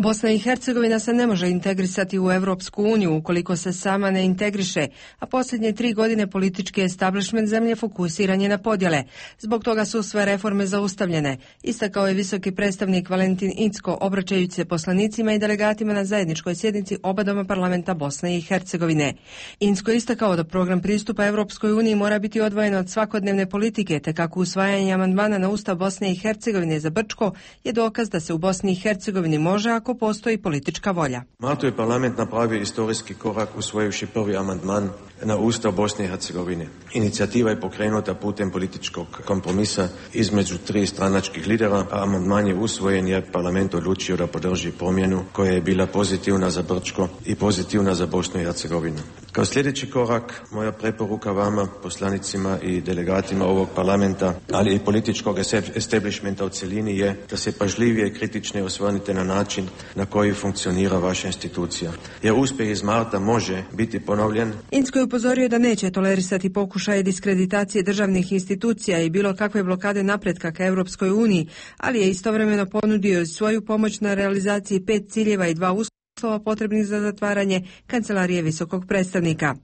Bosna i Hercegovina se ne može integrisati u Europsku uniju ukoliko se sama ne integriše, a posljednje 3 godine politički establishment zemlje fokusiran je na podjele. Zbog toga su sve reforme zaustavljene, istakao je visoki predstavnik Valentin Incko obraćajući se poslanicima i delegatima na zajedničkoj sjednici oba doma parlamenta Bosne i Hercegovine. Incko je istakao da program pristupa Europskoj uniji mora biti odvojen od svakodnevne politike, te kako usvajanje amandmana na Ustav Bosne i Hercegovine za Brčko je dokaz da se u Bosni i Hercegovini može ako postoji politička volja. Maltu je parlament napravio istorijski korak usvojivši prvi amandman na Ustav Bosne i Hercegovine. Inicijativa je pokrenuta putem političkog kompromisa između 3 stranačkih lidera, a amandman je usvojen jer parlament odlučio da podrži promjenu koja je bila pozitivna za Brčko i pozitivna za Bosnu i Hercegovinu. Kao sljedeći korak, moja preporuka vama, poslanicima i delegatima ovog parlamenta, ali i političkog establishmenta u cjelini je da se pažljivije i kritičnije osvrnite na način na koji funkcionira vaša institucija. Jer uspjeh iz marta može biti ponovljen. Incko je upozorio da neće tolerisati pokušaje diskreditacije državnih institucija i bilo kakve blokade napretka ka Europskoj uniji, ali je istovremeno ponudio svoju pomoć na realizaciji 5 ciljeva i 2 uslova potrebnih za zatvaranje kancelarije visokog predstavnika.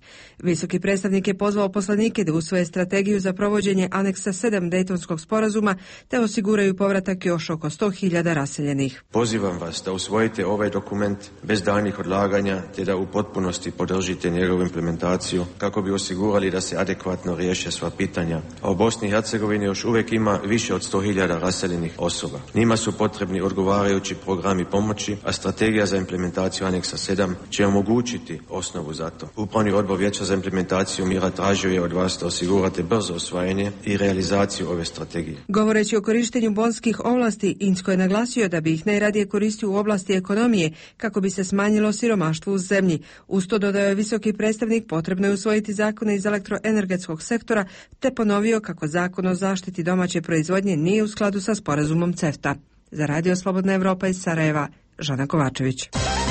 Visoki predstavnik je pozvao poslanike da usvoje strategiju za provođenje aneksa 7 Dejtonskog sporazuma te osiguraju povratak još oko 100.000 raseljenih. Pozivam vas da usvojite ovaj dokument bez daljnjih odlaganja te da u potpunosti podržite njegovu implementaciju kako bi osigurali da se adekvatno riješe sva pitanja. A u Bosni i Hercegovini još uvijek ima više od 100.000 raseljenih osoba. Njima su potrebni odgovarajući programi pomoći, a strategija za implementaciju aneksa 7 će omogućiti osnovu za to. Upravni odbor Vijeća za implementaciju mira tražio je od vas da osigurate brzo usvajanje i realizaciju ove strategije. Govoreći o korištenju bonskih ovlasti, Incko je naglasio da bi ih najradije koristio u oblasti ekonomije kako bi se smanjilo siromaštvo u zemlji. Uz to, dodao je visoki predstavnik, potrebno je usvojiti zakone iz elektroenergetskog sektora te ponovio kako zakon o zaštiti domaće proizvodnje nije u skladu sa sporazumom CEFTA. Za Radio Slobodna Evropa iz Sarajeva, Žana Kovačević.